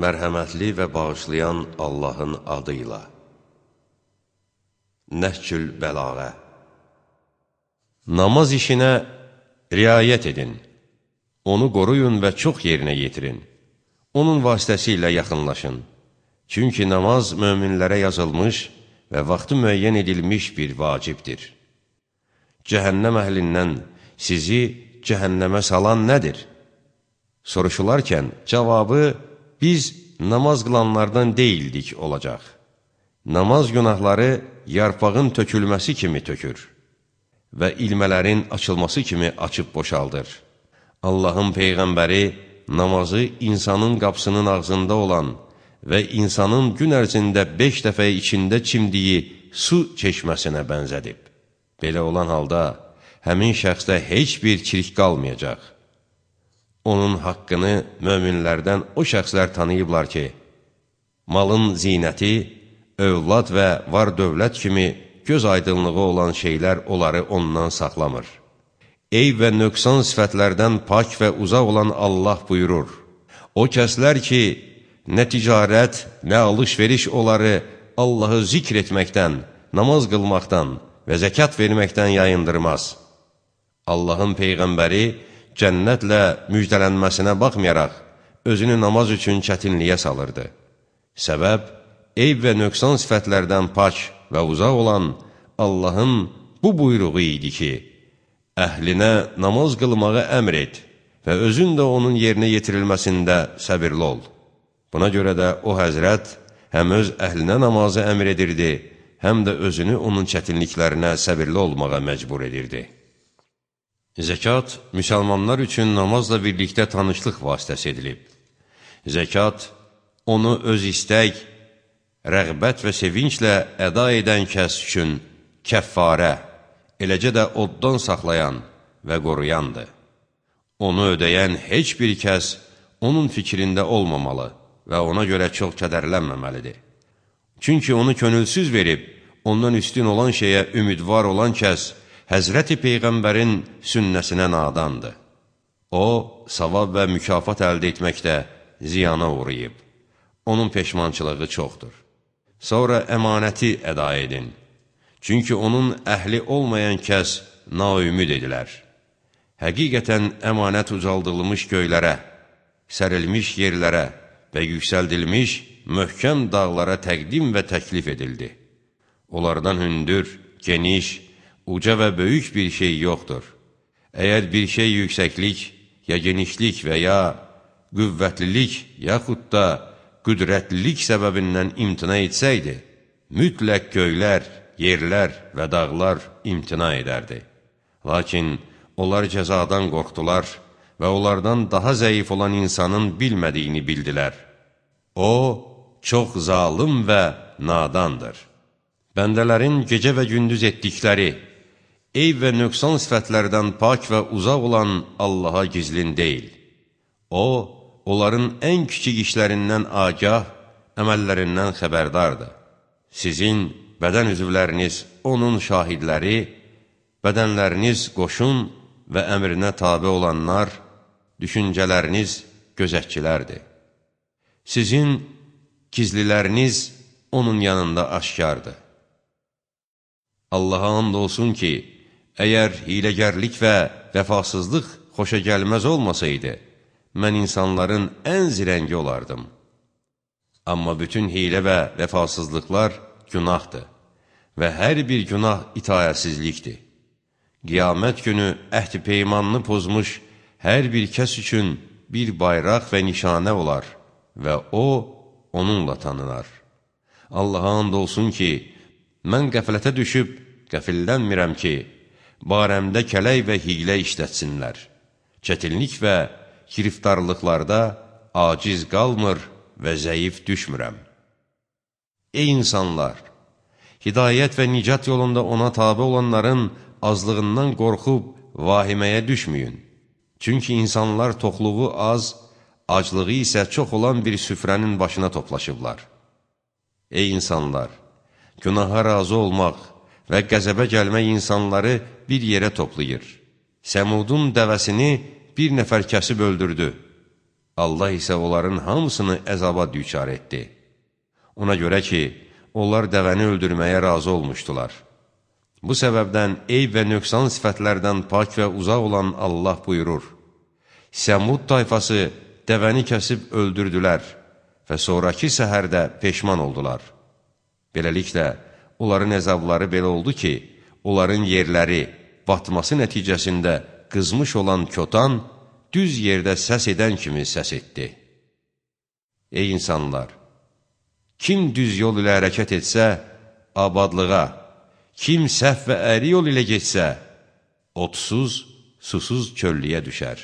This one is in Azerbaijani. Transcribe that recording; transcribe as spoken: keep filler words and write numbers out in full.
Mərhəmətli və bağışlayan Allahın adıyla. Nəhcül Bəlağə. Namaz işinə riayət edin. Onu qoruyun və çox yerinə yetirin. Onun vasitəsilə yaxınlaşın. Çünki namaz möminlərə yazılmış və vaxtı müəyyən edilmiş bir vacibdir. Cəhənnəm əhlindən sizi cəhənnəmə salan nədir? Soruşularkən cavabı, biz namaz qılanlardan deyildik olacaq. Namaz günahları yarpağın tökülməsi kimi tökür və ilmələrin açılması kimi açıb boşaldır. Allahın Peyğəmbəri namazı insanın qapısının ağzında olan və insanın gün ərzində beş dəfə içində çimdiyi su çeşməsinə bənzədib. Belə olan halda həmin şəxsdə heç bir çirk qalmayacaq. Onun haqqını möminlərdən o şəxslər tanıyıblar ki, malın zinəti, övlad və var dövlət kimi göz aydınlığı olan şeylər onları ondan saxlamır. Eyb və nöqsan sifətlərdən pak və uzaq olan Allah buyurur. O kəslər ki, nə ticarət, nə alış-veriş onları Allahı zikr etməkdən, namaz qılmaqdan və zəkat verməkdən yayındırmaz. Allahın Peyğəmbəri cənnətlə müjdələnməsinə baxmayaraq, özünü namaz üçün çətinliyə salırdı. Səbəb, eyb və nöqsan sifətlərdən pak və uzaq olan Allahın bu buyruğu idi ki, əhlinə namaz qılmağı əmr et və özün də onun yerinə yetirilməsində səbirli ol. Buna görə də o həzrət həm öz əhlinə namazı əmr edirdi, həm də özünü onun çətinliklərinə səbirli olmağa məcbur edirdi. Zəkat, müsəlmanlar üçün namazla birlikdə tanışlıq vasitəsi edilib. Zəkat, onu öz istək, rəğbət və sevinclə əda edən kəs üçün kəffarə, eləcə də oddan saxlayan və qoruyandır. Onu ödəyən heç bir kəs onun fikrində olmamalı və ona görə çox kədərlənməməlidir. Çünki onu könülsüz verib, ondan üstün olan şeyə ümidvar olan kəs, Həzrəti Peyğəmbərin sünnəsinə nadandır. O, savab və mükafat əldə etməkdə ziyana uğrayıb. Onun peşmançılığı çoxdur. Sonra əmanəti əda edin. Çünki onun əhli olmayan kəs naümid edilər. Həqiqətən əmanət ucaldılmış göylərə, sərilmiş yerlərə və yüksəldilmiş möhkəm dağlara təqdim və təklif edildi. Onlardan hündür, geniş, uca və böyük bir şey yoxdur. Əgər bir şey yüksəklik, ya genişlik və ya qüvvətlilik, yaxud da qüdrətlilik səbəbindən imtina etsəydi, mütləq göylər, yerlər və dağlar imtina edərdi. Lakin onlar cəzadan qorxdular və onlardan daha zəif olan insanın bilmədiyini bildilər. O, çox zalım və nadandır. Bəndələrin gecə və gündüz etdikləri, eyb və nöqsan sifətlərdən pak və uzaq olan Allaha gizlin deyil. O, onların ən kiçik işlərindən agah, əməllərindən xəbərdardır. Sizin bədən üzvləriniz onun şahidləri, bədənləriniz qoşun və əmrinə tabi olanlar, düşüncələriniz gözətçilərdir. Sizin gizliləriniz onun yanında aşkardır. Allaha and olsun ki, əgər hiləgərlik və vəfasızlıq xoşa gəlməz olmasaydı, mən insanların ən zirəngi olardım. Amma bütün hilə və vəfasızlıqlar günahdır və hər bir günah itayətsizlikdir. Qiyamət günü əhd-i peymanını pozmuş hər bir kəs üçün bir bayraq və nişanə olar və o, onunla tanınar. Allaha and olsun ki, mən qəflətə düşüb qəfillənmirəm ki, barəmdə kələk və hiylə işlətsinlər. Çətinlik və giriftarlıqlarda aciz qalmır və zəif düşmürəm. Ey insanlar! Hidayət və nicat yolunda ona tabi olanların azlığından qorxub vahiməyə düşməyin. Çünki insanlar toxluğu az, aclığı isə çox olan bir süfrənin başına toplaşıblar. Ey insanlar! Günaha razı olmaq və qəzəbə gəlmək insanları bir yerə toplayır. Səmudun dəvəsini bir nəfər kəsib öldürdü. Allah isə onların hamısını əzaba düçar etdi. Ona görə ki, onlar dəvəni öldürməyə razı olmuşdular. Bu səbəbdən eyb və nöqsan sifətlərdən pak və uzaq olan Allah buyurur: Səmud tayfası dəvəni kəsib öldürdülər və sonraki səhərdə peşman oldular. Beləliklə, onların əzabları belə oldu ki, onların yerləri batması nəticəsində qızmış olan kötan düz yerdə səs edən kimi səs etdi. Ey insanlar! Kim düz yol ilə hərəkət etsə, abadlığa, kim səhv və əyri yol ilə getsə, otsuz, susuz çöllüyə düşər.